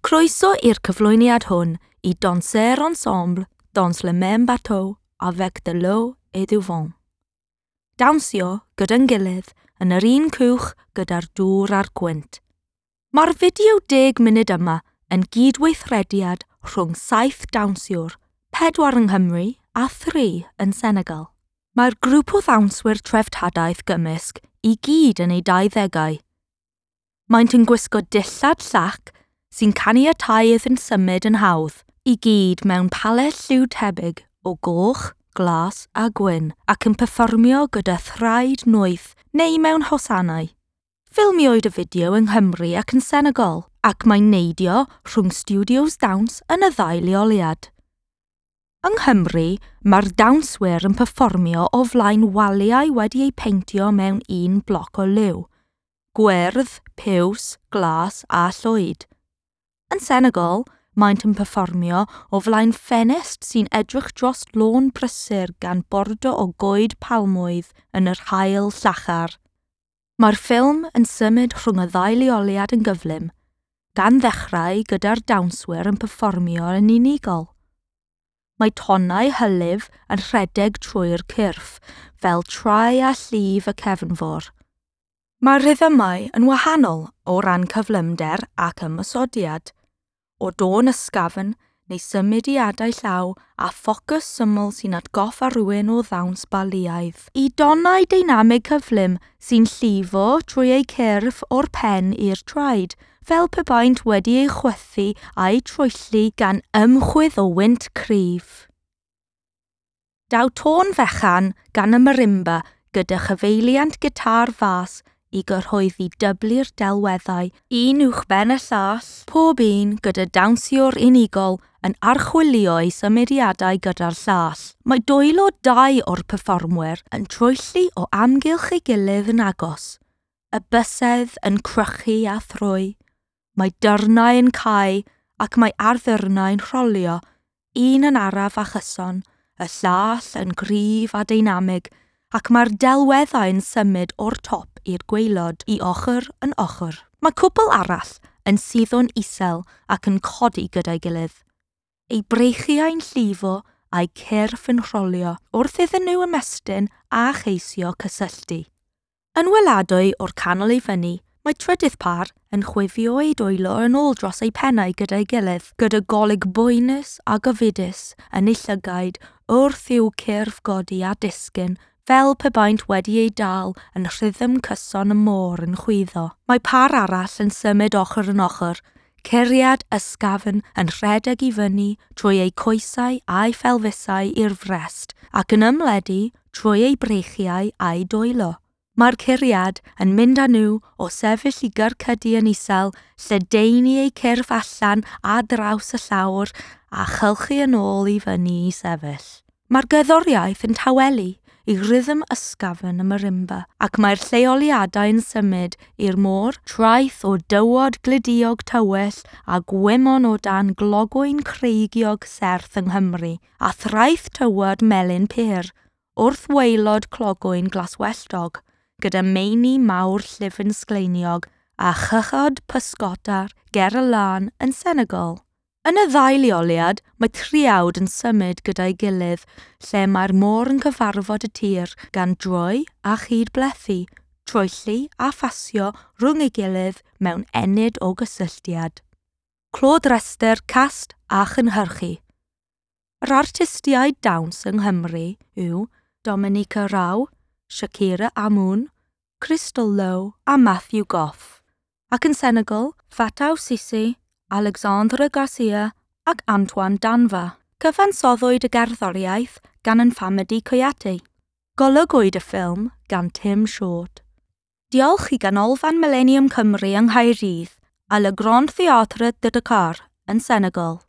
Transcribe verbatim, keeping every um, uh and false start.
Croeso i'r cyflwyniad hwn i Danser Ensemble dans le même bateau avec de l'eau et du vent. Dawnsio gyda'n gilydd yn yr un cwch gyda'r dŵr a'r gwynt. Mae'r fideo deg munud yma yn gydweithrediad rhwng saith dawnsiwr, pedwar yng Nghymru a thri yn Senegal. Mae'r grŵp o ddawnswyr treftadaeth gymysg i gyd yn eu dauddegau. Maent yn gwisgo dillad llac sy'n caniatáu iddynt symud yn hawdd, i gyd mewn palet lliw tebyg o goch, glas a gwyn ac yn perfformio gyda thraed noeth neu mewn hosanau. Ffilmiwyd y fideo yng Nghymru ac yn Senegal ac mae'n neidio rhwng stiwdios dawns yn y ddau leoliad. Yng Nghymru, mae'r dawnswyr yn perfformio o flaen waliau wedi eu peintio mewn un bloc o liw, gwyrdd, piws, glas a llwyd. Yn Senegal, maent yn perfformio o flaen ffenest sy'n edrych dros lôn brysur gan bordo o goed palmwydd yn yr haul llachar. Mae'r ffilm yn symud rhwng y ddau leoliad yn gyflym, gan ddechrau gyda'r dawnswyr yn perfformio yn unigol. Mae tonnau hylif yn rhedeg trwy'r cyrff, fel trai a llif y cefnfor. Mae'r rhythmau yn wahanol o ran cyflymder ac ymosodiad, o dôn ysgafn neu symudiadau llaw a ffocws syml sy'n atgoffa rhywun o ddawns Baliaidd, i donnau deinamig cyflym sy'n llifo trwy eu cyrff o'r pen i'r traed, fel pe baent wedi eu chwythu a'u troelli gan ymchwydd o wynt cryf. Daw tôn fechan gan y marimba gyda chyfeiliant gitâr fas i gyrhoeddi dyblu'r delweddau, un uwchben y llall, pob un gyda dawnsiwr unigol yn archwilio ei symudiadau gyda'r llall. Mae dwylo dau o'r perfformwyr yn troelli o amgylch ei gilydd yn agos, y bysedd yn crychu a thrwy. Mae dyrnau yn cau ac mae arddyrnau'n rholio, un yn araf a chyson, y llall yn gryf a deinamig, ac mae'r delweddau'n symud o'r top i'r gwaelod i ochr yn ochr. Mae cwpl arall yn suddo'n isel ac yn codi gyda'i gilydd. Eu breichiau'n llifo a'u cyrff yn rholio wrth iddyn nhw ymestyn a cheisio cysylltu. Yn weladwy o'r canol i fyny, mae trydydd pâr yn chwifio eu dwylo yn ôl dros eu pennau gyda'i gilydd, gyda golwg boenus a gofidus yn eu llygaid wrth i'w cyrff godi a disgyn fel pe baent wedi eu dal yn rhythm cyson y môr yn chwyddo. Mae pâr arall yn symud ochr yn ochr, curiad ysgafn yn rhedeg i fyny trwy eu coesau a'u phelfisau i'r frest ac yn ymledu trwy eu breichiau a'u dwylo. Mae'r curiad yn mynd â nhw o sefyll i gyrcydu yn isel, lledaenu eu cyrff allan a draws y llawr a chylchu yn ôl i fyny i sefyll. Mae'r gerddoriaeth yn tawelu i rhythm ysgafn y marimba, ac mae'r lleoliadau'n symud i'r môr, traeth o dywod gludiog tywyll a gwymon o dan glogwyn creigiog serth yng Nghymru, a thraeth tywod melyn pur, wrth waelod clogwyn glaswelltog, gyda meini mawr llyfn sgleiniog a chychod pysgota'r ger y lan yn Senegal. Yn y ddau leoliad, mae triawd yn symud gyda'i gilydd lle mae'r môr yn cyfarfod y tir gan droi a chydblethu, troelli a phasio rhwng ei gilydd mewn ennyd o gysylltiad. Clod restr cast a chynhyrchu. Yr artistiaid dawns yng Nghymru yw Dominica Rau, Shakira Amoun, Crystal Lowe a Matthew Goff. Ac yn Senegal, Fatou Sisi, Alexandra Garcia ac Antoine Danva. Cyfansoddwyd y gerddoriaeth gan N'Famady Kouyaté. Golygwyd y ffilm gan Tim Short. Diolch i Ganolfan Millennium Cymru yng Nghaerdydd a Le Grand Théâtre de Dakar yn Senegal.